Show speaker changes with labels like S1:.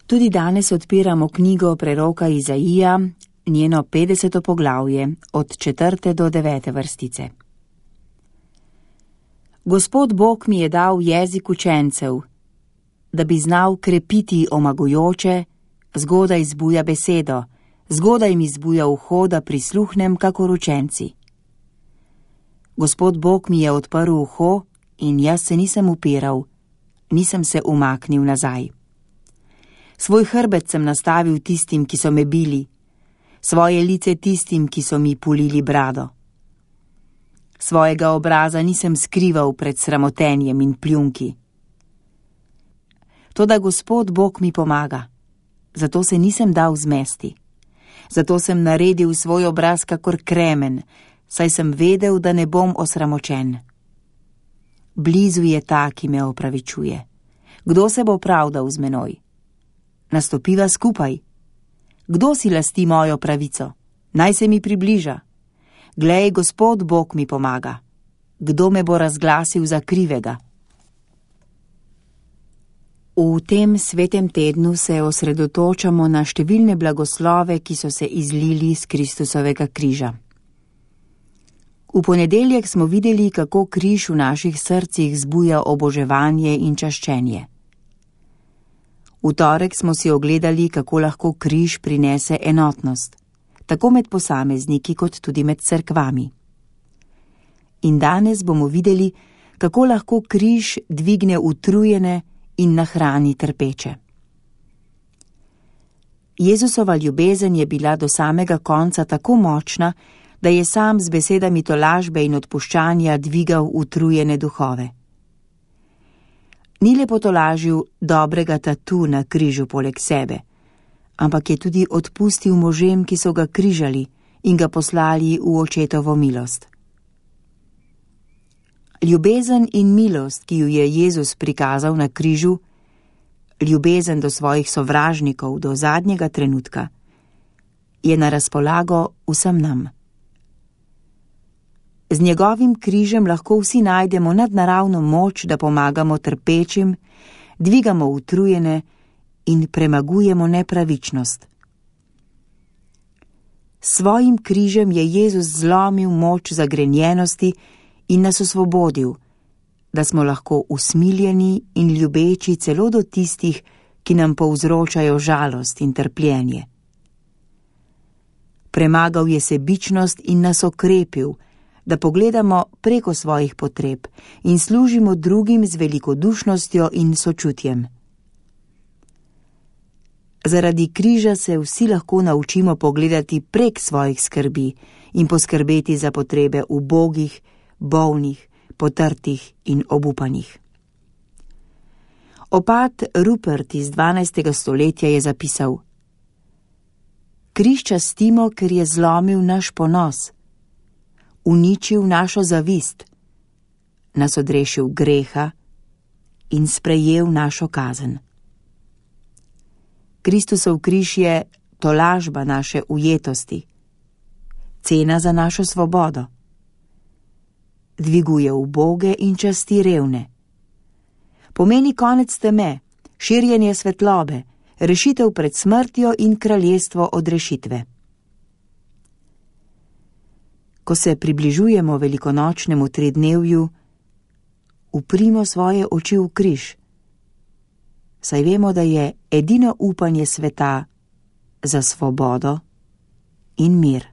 S1: Tudi danes odpiramo knjigo preroka Izaija, njeno 50. poglavje, od 4. do 9. vrstice. Gospod Bog mi je dal jezik učencev, da bi znal krepiti omagujoče, zgodaj zbuja besedo, zgodaj mi zbuja uho, da prisluhnem kakor učenci. Gospod Bog mi je odprl uho in jaz se nisem upiral, nisem se umaknil nazaj. Svoj hrbet sem nastavil tistim, ki so me bili, svoje lice tistim, ki so mi pulili brado. Svojega obraza nisem skrival pred sramotenjem in pljunki. Toda Gospod Bog mi pomaga, zato se nisem dal zmesti. Zato sem naredil svoj obraz kakor kremen, saj sem vedel, da ne bom osramočen. Blizu je ta, ki me opravičuje. Kdo se bo pravdal z menoj? Nastopiva skupaj. Kdo si lasti mojo pravico? Naj se mi približa. Glej, Gospod Bog mi pomaga. Kdo me bo razglasil za krivega? V tem svetem tednu se osredotočamo na številne blagoslove, ki so se izlili z Kristusovega križa. V ponedeljek smo videli, kako križ v naših srcih zbuja oboževanje in čaščenje. V torek smo si ogledali, kako lahko križ prinese enotnost, tako med posamezniki kot tudi med cerkvami. In danes bomo videli, kako lahko križ dvigne utrujene in nahrani trpeče. Jezusova ljubezen je bila do samega konca tako močna, da je sam z besedami tolažbe in odpuščanja dvigal utrujene duhove. Ni le potolažil dobrega tatu na križu poleg sebe, ampak je tudi odpustil možem, ki so ga križali in ga poslali v očetovo milost. Ljubezen in milost, ki ju je Jezus prikazal na križu, ljubezen do svojih sovražnikov do zadnjega trenutka, je na razpolago vsem nam. Z njegovim križem lahko vsi najdemo nadnaravno moč, da pomagamo trpečim, dvigamo utrujene in premagujemo nepravičnost. S svojim križem je Jezus zlomil moč zagrenjenosti in nas osvobodil, da smo lahko usmiljeni in ljubeči celo do tistih, ki nam povzročajo žalost in trpljenje. Premagal je sebičnost in nas okrepil, da pogledamo preko svojih potreb in služimo drugim z velikodušnostjo in sočutjem. Zaradi križa se vsi lahko naučimo pogledati prek svojih skrbi in poskrbeti za potrebe ubogih, bolnih, potrtih in obupanih. Opat Rupert iz 12. stoletja je zapisal: Križ častimo, ker je zlomil naš ponos, uničil našo zavist, nas odrešil greha in sprejel našo kazen. Kristusov križ je tolažba naše ujetosti, cena za našo svobodo. Dviguje uboge in časti revne. Pomeni konec teme, širjenje svetlobe, rešitev pred smrtjo in kraljestvo odrešitve. Ko se približujemo velikonočnemu tridnevju, uprimo svoje oči v križ, saj vemo, da je edino upanje sveta za svobodo in mir.